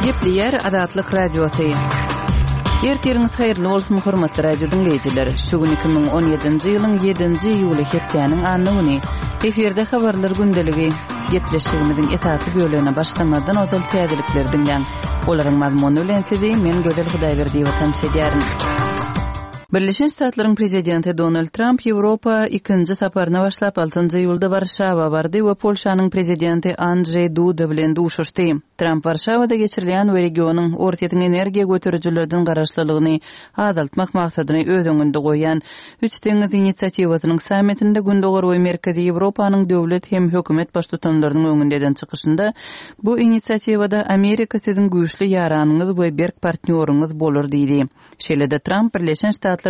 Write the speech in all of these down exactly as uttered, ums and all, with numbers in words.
Gepleýär Azatlyk Radiosy. Ertiriňiz haýyrly bolsun, hormatly radio diňleýjiler. Şu gün iki müň on ýedinji ýylyň ýedinji iýuly hepdäniň anna güni. Efirde habarlar gündeligi. Gepleşigimiziň esasy bölegine başlamazdan ozal täzelikleri diňläň. Olaryň mazmuny bilen sizi men Gözel Hudaýberdiýewa tanyş edýärin. Birleşen Ştatlaryň prezidenti Donald Tramp Ýewropa ikinji saparyna başlap altynjy iýulda Warşawa bardy we Polşanyň prezidenti Andrzej Duda bilen duşuşdy. Tramp Warşawada geçirilýän we regionyň Orsýetiň energiýa göterijilerden garaşlylygyny azaltmak maksadyny öz öňünde goýýan Üç deňiz inisiatiwasynyň sammitinde Gündogar we Merkezi Ýewropanyň döwlet hem hökümet baştutanlarynyň öňünde eden çykyşynda bu inisiatiwada Amerika siziň güýçli ýaranyňyz we berk partnýoryňyz bolar diýdi. Şeýle-de Tramp Birleşen Ştatlaryň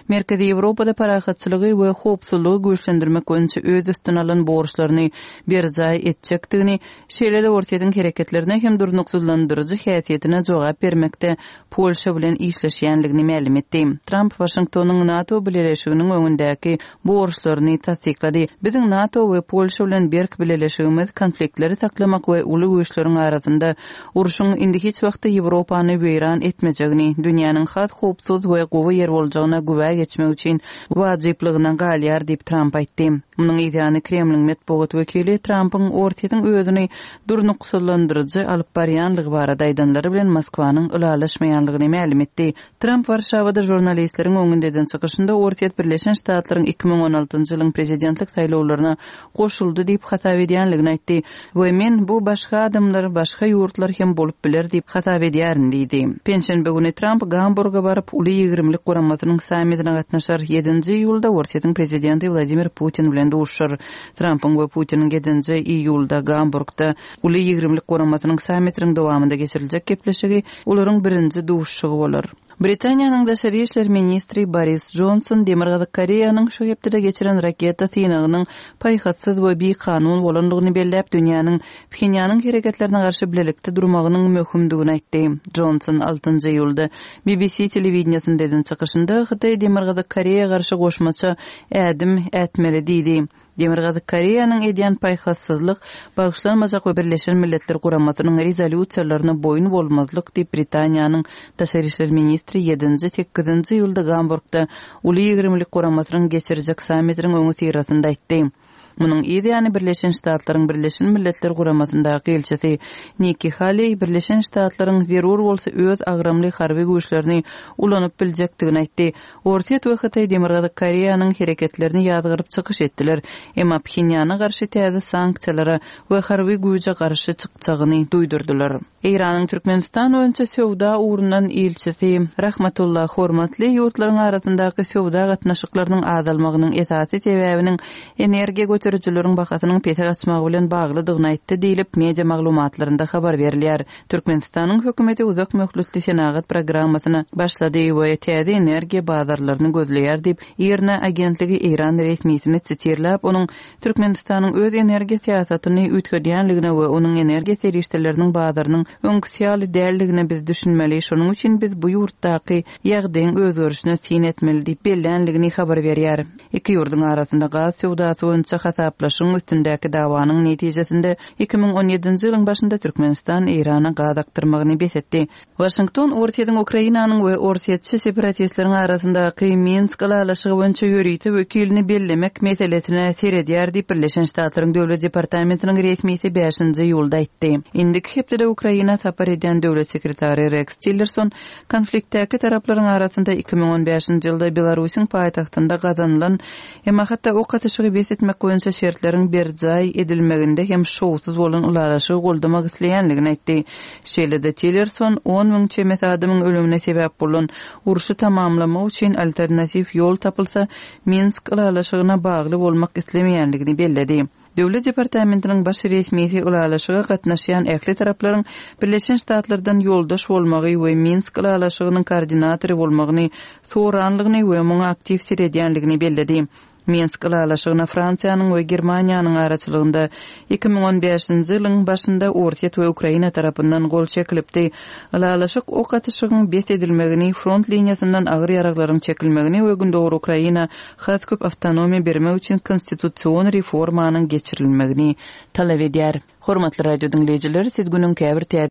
Merkezi Ýewropada parahatçylygy we howpsuzlygy güýçlendirmek boýunça öz üstüne alan borçlaryny berjaý etjekdigini, şeýle-de Orsýetiň hereketlerine hem durnuksyzlandyryjy häsiýetine jogap bermekde Polşa bilen işleşýänligini mälim etdi. Tramp Waşingtonyň NATO bileleşiginiň öňündäki borçlaryny tassyklady. Biziň NATO we Polşa bilen berk bileleşigimiz konfliktleri saklamak we uly güýçleriň arasynda urşuň indi hiç wagtda Ýewropany weýran etmejegini, dünýäniň has howpsuz we gowy ýer boljagyna güwä geçmek üçin wajyplygyna galýar diýip Tramp aýtdy. Munuň yzýany Kremliň metbugat wekili Trampyň Orsýetiň özüni durnuksyzlandyryjy alyp barýanlygy barada aýdanlary bilen Moskwanyň ylalaşmaýanlygyny mälim etdi. Tramp Warşawada žurnalistleriň öňünde eden çykyşynda Orsýet Birleşen Ştatlaryň iki müň on altynjy ýylyň prezidentlik saýlawlaryna goşuldy diýip hasap edýänligini aýtdy we men bu başga adamlar, başga ýurtlar hem bolup biler diýip hasap edýärin diýdi. Penşenbe güni Tramp Gamburga baryp, Uly ýigrimlik guramasynyň sammitine gatnaşar. Ýedinji iýulda Orsýetiň prezidenti Wladimir Putin bilen duşuşar. Trampyň we Putiniň ýedinji iýulda Gamburgda Uly ýigrimlik guramasynyň sammitiniň dowamynda geçiriljek gepleşigi olaryň birinji duşuşygy bolar. Britaniýanyň daşary işler ministri Boris Johnson Demirgazyk Koreýanyň şu hepdede geçiren raketa synagynyň paýhassyz we bikanun bolandygyny belläp, dünýäniň Phenýanyň hereketlerine garşy bilelikde durmagynyň möhümdigini aýtdy. Johnson altynjy iýulda B B C telewideniýasynda eden çykyşynda Hytaý Demirgazyk Koreýa garşy goşmaça ädim ätmeli diýdi. Demirgazyk Koreýanyň edýän paýhassyzlyk, bagyşlanmajak we Birleşen Milletler Guramasynyň rezolýusiýalaryna boýun bolmazlyk diýip Britaniýanyň daşary işler ministri ýedinji, sekizinji iýulda Gamburgda Uly ýigrimlik guramasynyň geçirjek sammitiniň öňi syrasynda aýtdy. Munuň yzýany Birleşen Ştatlaryň Birleşen Milletler Guramasyndaky ilçisi Nikki Haley Birleşen Ştatlaryň zerur bolsa öz agramly harby güýçlerini ulanyp biljekdigini aýtdy. Orsýet we Hytaý Demirgazyk Koreýanyň hereketlerini ýazgyryp çykyş etdiler. Emma Phenýana garşy täze sanksiýalara we harby güýje garşy çykjagyny duýdurdylar. Eýranyň Türkmenistan boýunça söwda ugrundan ilçisi Rahmatullah Hormatly ýurtlaryň arasyndaky söwda gatnaşyklarynyň azalmagynyň esasy sebäbiniň energiýa göterijileriň bahasynyň pese gaçmagy bilen baglydygyny aýtdy diýlip media maglumatlarynda habar berilýär. Türkmenistanyň hökümeti uzak möhletli senagat programmasyna başlady we täze energiýa bazarlaryny gözleýär diýip IRNA agentligi Eýran resmisini sitirläp, onuň Türkmenistanyň öz energiýa syýasatyny üýtgedýänligine we onuň energiýa serişdeleriniň bazarynyň öňküsi ýaly däldigine biz düşünmeli. Şonuň üçin biz bu ýurtdaky ýagdaýyň özgerişine syn etmeli diýip bellänligini habar berýär. Iki ýurduň arasynda gaz söwdasy boýunça hasaplaşyň üstündäki dawanyň netijesinde iki müň on ýedinji ýylyň başynda Türkmenistan Eýrana gaz akdyrmagyny bes etdi. Waşington Orsýetiň Ukrainanyň we Orsýetçi separatistleriň arasyndaky Minsk ylalaşygy boýunça ýörite wekilini bellemek meselesine seredýär diýip Birleşen Ştatlaryň Döwlet Departamentiniň resmisi bäşinji iýulda aýtdy. Indiki hepdede Ukraina sapar edýän döwlet sekretary Rex Tillerson konfliktdäki taraplaryň arasynda iki müň on bäşinji ýylda Belarusyň paýtagtynda gazanylan, emma hatda ok atyşygy bes etmek boýunça şertleriň berjaý edilmeginde hem şowsuz bolan ylalaşygy goldamak isleýänligini aýtdy. Şeýle-de Tillerson on müň çemesi adamyň ölümine sebäp bolan urşy tamamlamak üçin alternatiw ýol tapylsa, Minsk ylalaşygyna bagly bolmak islemeýänligini belledi. Döwlet Departamentiniň baş resmisi ylalaşyga gatnaşýan ähli taraplaryň Birleşen Ştatlardan ýoldaş bolmagy we Minsk ylalaşygynyň koordinatory bolmagyny soranlygyny we muňa aktiw seredýänligini belledi. Minsk ylalaşygyna Fransiýanyň we Germaniýanyň araçylygynda iki müň on bäşinji ýylyň başynda Orsýet we Ukraina tarapyndan gol çekilipdi. Ylalaşyk ok atyşygyň bes edilmegini, front liniýasyndan agyr ýaraglaryň çekilmegini we Gündogar Ukraina has köp awtonomiýa bermek üçin konstitusion reformanyň geçirilmegini talap edýär. Hormatly radio diňleýjiler, siz günüň käbir täze